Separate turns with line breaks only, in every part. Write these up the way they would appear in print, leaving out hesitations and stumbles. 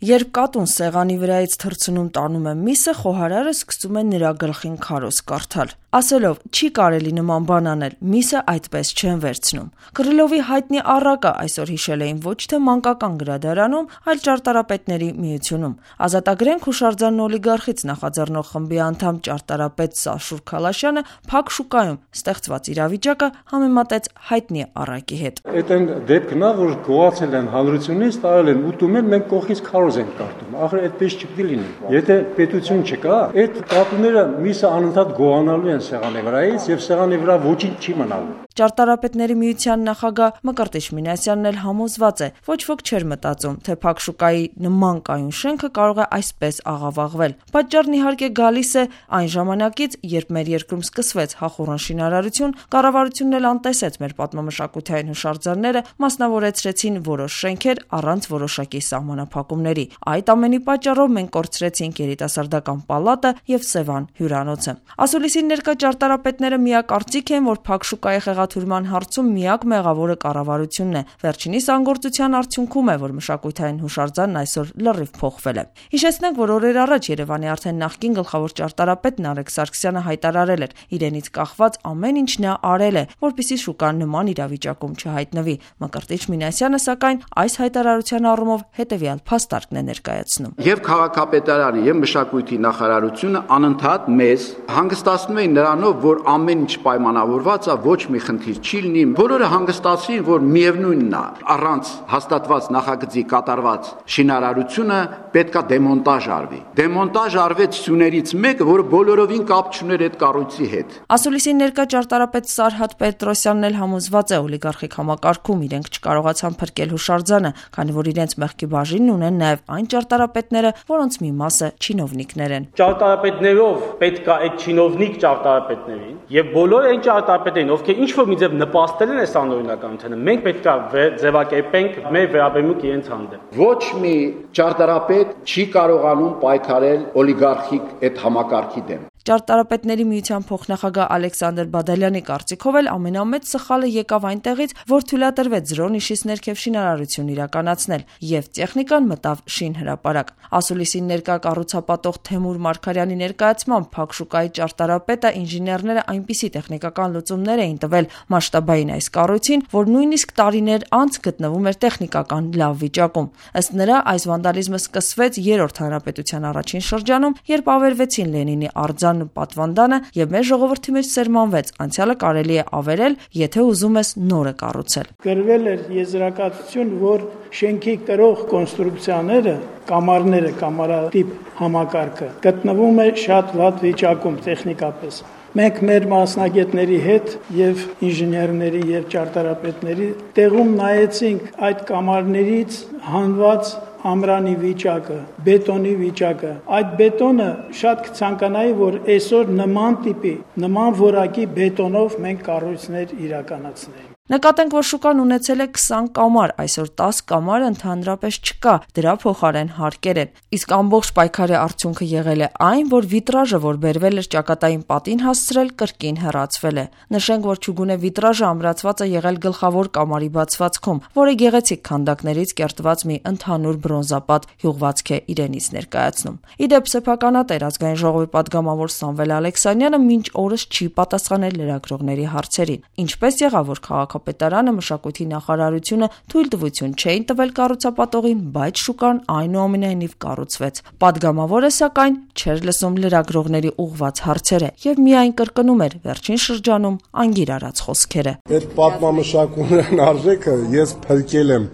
Երբ կատուն սեղանի վրայից թռցնում տանում է միսը, խոհարարը սկսում է նրա գլխին քարոզ կարդալ, ասելով չի կարելի նման բան անել, միսը այդպես չեն վերցնում։ Կռիլովի հայտնի առակը այսօր հիշել էին ոչ թե մանկական գրադարանում, այլ ճարտարապետների միությունում։ Ազատագրենք հուշարձանն օլիգարխից նախաձեռնող խմբի անդամ ճարտարապետ Սաշուր Քալաշյանը փակ շուկայում ստեղծված իրավիճակը համեմատեց հայտնի առակի հետ։
Այդ դեպքն է, որ գոհացել են հանրությունից, տարել են ուտում են, մենք կողքից քարոզ ենք կարդում։ Ախր այդպես չպետք է լինի։ Եթե պետություն չկա, այդ կատուները միսը անընդհատ գոհանալու են սեղանի վրայից եւ սեղանի վրա ոչինչ չի մնալու։
Ճարտարապետների միության նախագահ Մկրտիչ Մինասյանն էլ համոզված է, ոչ ոք չէր մտածում, թե փակ շուկայի նման կայուն շենքը կարող է այսպես աղավաղվել։ Պատճառն իհարկե գալիս է այն ժամանակից, երբ մեր երկրում սկսվեց հախուռն շինարարություն, կառավարությունն էլ անտեսեց մեր պատմամշակութային հուշարձանները, մասնավորեցրեցին որոշ շենքեր առանց որոշակի սահմանափակումների։ Այդ ամենի պատճառով մենք կորցրեցինք երիտասարդական պալատը եւ Սևան հյուրանոցը։ Ասուլիսին ներկա ճարտարապետները միակարծիք են, որ փակ շուկայի խեղաթյուրման հարցում միակ մեղավորը կառավարությունն է։ Վերջինիս անգործության արդյունքում է, որ մշակութային հուշարձանն այսօր լրիվ փոխվել է։ Հիշեցնենք, որ օրեր առաջ Երևանի արդեն նախկին գլխավոր ճարտարապետ Նարեկ Սարգսյանը հայտարարել էր, իրենից կախված ամեն ինչ նա արել է, որպեսզի շուկան նման իրավիճակում չհայտնվի։ Մկրտիչ Մինասյանը, սակայն, այս հայտարարության առումով հետևյալ փաստարկն է ներկայացնում։
Եվ քաղաքապետարանը եւ մշակույթի նախարարությունը անընդհատ մեզ հանգստացնում էին նրանով, որ ամեն ինչ պայմանավորված է, ոչ մի խնդիր չի լինի։ Բոլորը հանգստացին, որ միևնույնն է, առանց հաստատված նախագծի կատարված շինարարությունը պետքա դեմոնտաժ արվի։ Դեմոնտաժ արվեց սյուներից մեկը, որը բոլորովին կապ չուներ այդ կառույցի հետ։
Ասուլիսի ներկա ճարտարապետ Սարհատ Պետրոսյանն էլ համոզված է, օլիգարխիկ համակարգում իրենք չկարողացան փրկել հուշարձանը, քանի որ իրենց մեղքի բաժինն ունեն նաև այն ճարտարապետները, որոնց մի մասը չինովնիկներ են։
Ճարտարապետներով պետք է այդ չինովնիկ ճարտարապետներին եւ բոլոր այն ճարտարապետերին, ովքեր ինչ-որ մի ձև նպաստել են այս անօրինականությանը, մենք պետք է ձևակերպենք մեր վերաբերմունք իրենց հանդեպ։
Ոչ մի ճարտարապետ չի կարողանում պայքարել օլիգարխիկ այդ համակարգի դեմ։
Ճարտարապետների միության փոխնախագահ Ալեքսանդր Բադալյանի կարծիքով էլ ամենամեծ սխալը եկավ այնտեղից, որ թույլատրվեց զրո-նիշից ներքև շինարարություն իրականացնել եւ տեխնիկան մտավ շինհրապարակ։ Ասուլիսին ներկա կառուցապատող Թեմուր Մարգարյանի ներկայացմամբ փակ շուկայի ճարտարապետը ինժեներները այնպիսի տեխնիկական լուծումներ էին տվել մասշտաբային այս կառույցին, որ նույնիսկ տարիներ անց գտնվում էր տեխնիկական լավ վիճակում։ Ըստ նրա, այս վանդալիզմը սկսվեց Երրորդ հանրապետության առաջին շրջանում, երբ ավերվեցին Լենինի արձան պատվանդանը եւ մեր ժողովրդի մեջ սերմանվեց անցյալը կարելի է ավերել, եթե ուզում ես նորը կառուցել։
Գրվել էր եզրակացություն, որ շենքի կրող կոնստրուկցիաները, կամարները, կամարատիպ համակարգը գտնվում է շատ վատ վիճակում տեխնիկապես։ Մենք մեր մասնագետների հետ եւ ինժեներների եւ ճարտարապետների տեղում նայեցինք այդ կամարներից հանված ամրանի վիճակը, բետոնի վիճակը։ Այդ բետոնը շատ կցանկանայի, որ այսօր նման տիպի, նման որակի բետոնով մենք կառույցներ իրականացնենք։
Նկատենք, որ շուկան ունեցել է 20 կամար, այսօր 10 կամար ընդհանրապես չկա, դրա փոխարեն հարկեր են։ Իսկ ամբողջ պայքարի արդյունքը եղել է այն, որ վիտրաժը, որ բերվել էր ճակատային պատին հասցրել, կրկին հեռացվել է։ Նշենք, որ չուգունե վիտրաժը ամրացված է եղել գլխավոր կամարի բացվածքում, որը գեղեցիկ քանդակներից կերտված մի ընդհանուր բրոնզապատ հյուղվածք է իրենից ներկայացնում։ Իդեպ սեփականատեր ազգային ժողովի պատգամավոր Սամվել Ալեքսանյանը մինչ օրս չի պատասխանել լրագրողների հարցերին։ Ինչպես եղավ, որ քաղաքապետարանը, մշակույթի նախարարությունը թույլտվություն չէին տվել կառուցապատողին, բայց շուկան այնուամենայնիվ կառուցվեց։ Պատգամավորը, սակայն, չէր լսում լրագրողների ուղղված հարցերը եւ միայն կրկնում էր վերջին շրջանում անգիր արած խոսքերը։
Այդ պատմամշակութային արժեքը ես փրկել եմ,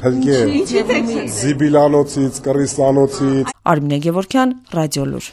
Զիբիլանոցից, Կռիստանոցից։
Արմինե Գևորգյան, Ռադիոլուր։